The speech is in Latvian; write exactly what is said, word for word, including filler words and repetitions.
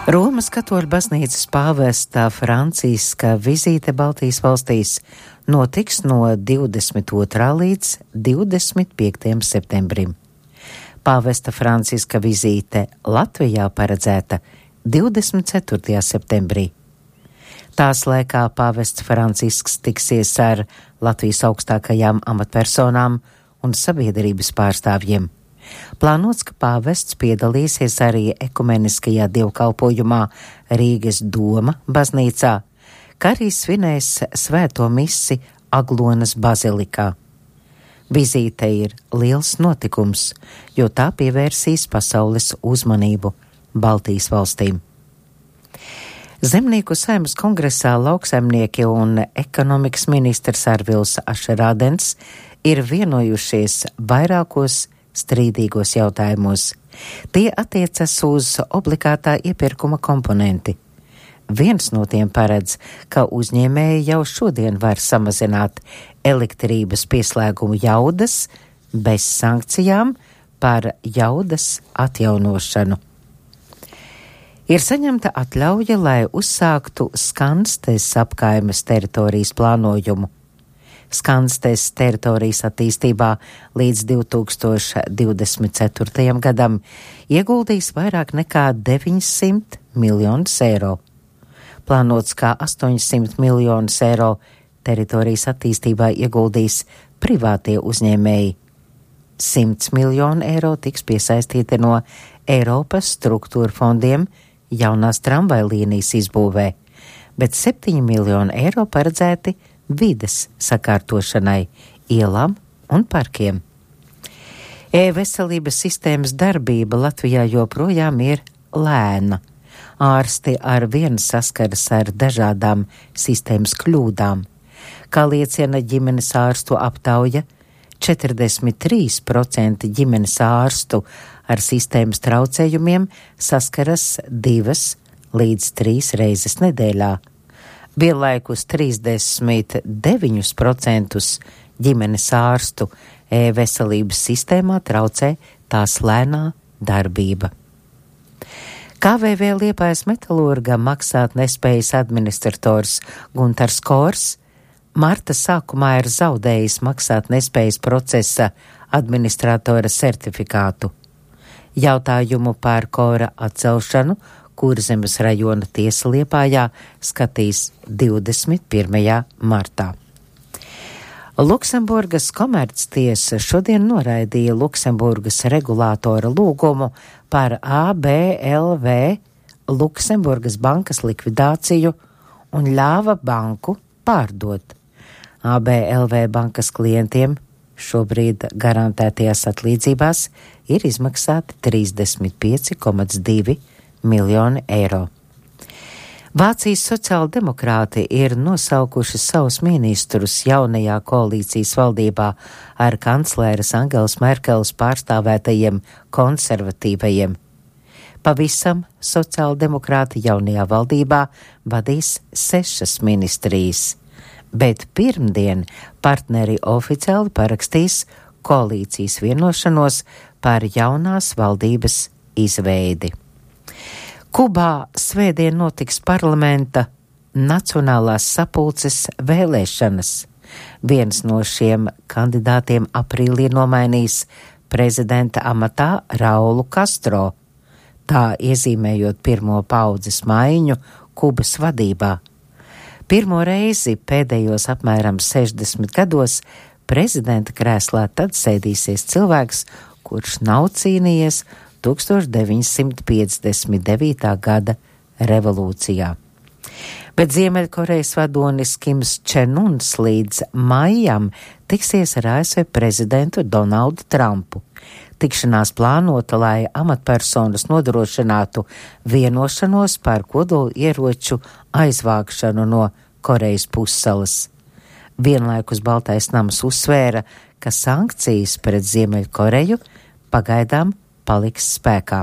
Romas katoļu baznīcas pāvesta Franciska vizīte Baltijas valstīs notiks no divdesmit otrā līdz divdesmit piektajam septembrim. Pāvesta Franciska vizīte Latvijā paredzēta divdesmit ceturtajā septembrī. Tās laikā pāvests Francisks tiksies ar Latvijas augstākajām amatpersonām un sabiedrības pārstāvjiem. Plānots, ka pāvests piedalīsies arī ekumeniskajā dievkalpojumā Rīgas Doma baznīcā, kā arī svinēs svēto misi Aglonas bazilikā. Vizīte ir liels notikums, jo tā pievērsīs pasaules uzmanību Baltijas valstīm. Zemnieku saeimas kongresā lauksaimnieki un ekonomikas ministrs Arvils Ašerādens ir vienojušies vairākos strīdīgos jautājumos. Tie attiecas uz obligātā iepirkuma komponenti. Viens no tiem paredz, ka uzņēmēji jau šodien var samazināt elektrības pieslēgumu jaudas bez sankcijām par jaudas atjaunošanu. Ir saņemta atļauja, lai uzsāktu Skanstes apkaimes teritorijas plānojumu. Skanstes teritorijas attīstībā līdz divi tūkstoši divdesmit ceturtajam gadam ieguldīs vairāk nekā deviņsimt miljonus eiro. Plānots, kā astoņsimt miljonus eiro teritorijas attīstībā ieguldīs privātie uzņēmēji. simts miljonu eiro tiks piesaistīti no Eiropas struktūra fondiem jaunās tramvajlīnijas izbūvē, bet septiņi miljoni eiro paredzēti vides sakārtošanai, ielām un parkiem. E-veselības sistēmas darbība Latvijā joprojām ir lēna. Ārsti ar vienu saskaras ar dažādām sistēmas kļūdām. Kā liecina ģimenes ārstu aptauja, četrdesmit trīs procenti ģimenes ārstu ar sistēmas traucējumiem saskaras divas līdz trīs reizes nedēļā. Vienlaikus trīsdesmit deviņus procentus ģimenes ārstu e-veselības sistēmā traucē tās lēnā darbība. K V V Liepājas metalurga maksāt nespējas administrators Guntars Kors marta sākumā ir zaudējis maksāt nespējas procesa administratora certifikātu. Jautājumu par Kora atcelšanu Kurzemes rajona tiesa Liepājā skatīs divdesmit pirmajā martā. Luksemburgas komerctiesa šodien noraidīja Luksemburgas regulātora lūgumu par A B L V Luksemburgas bankas likvidāciju un ļāva banku pārdot. A B L V bankas klientiem šobrīd garantētajās atlīdzībās ir izmaksāti trīsdesmit pieci komats divi miljoni eiro. Vācijas sociāldemokrāti ir nosaukuši savus ministrus jaunajā koalīcijas valdībā ar kancleres Angelas Merkeles pārstāvētajiem konservatīvajiem. Pavisam sociāldemokrāti jaunajā valdībā vadīs sešas ministrijas, bet pirmdien partneri oficiāli parakstīs koalīcijas vienošanos par jaunās valdības izveidi. Kubā svētdien notiks parlamenta Nacionālās sapulces vēlēšanas. Viens no šiem kandidātiem aprīlī nomainīs prezidenta amatā Raulu Castro, tā iezīmējot pirmo paudzes maiņu Kubas vadībā. Pirmo reizi pēdējos apmēram sešdesmit gados prezidenta krēslā tad sēdīsies cilvēks, kurš nav cīnījies tūkstoš deviņsimt piecdesmit devītā gada revolūcijā. Bet Ziemeļkorejas vadonis Kims Čen Uns līdz maijam tiksies ar A S V prezidentu Donaldu Trumpu. Tikšanās plānota, lai amatpersonas nodrošinātu vienošanos par kodolu ieroču aizvākšanu no Korejas pussalas. Vienlaikus Baltais nams uzsvēra, ka sankcijas pret Ziemeļkoreju pagaidām paliks spēkā.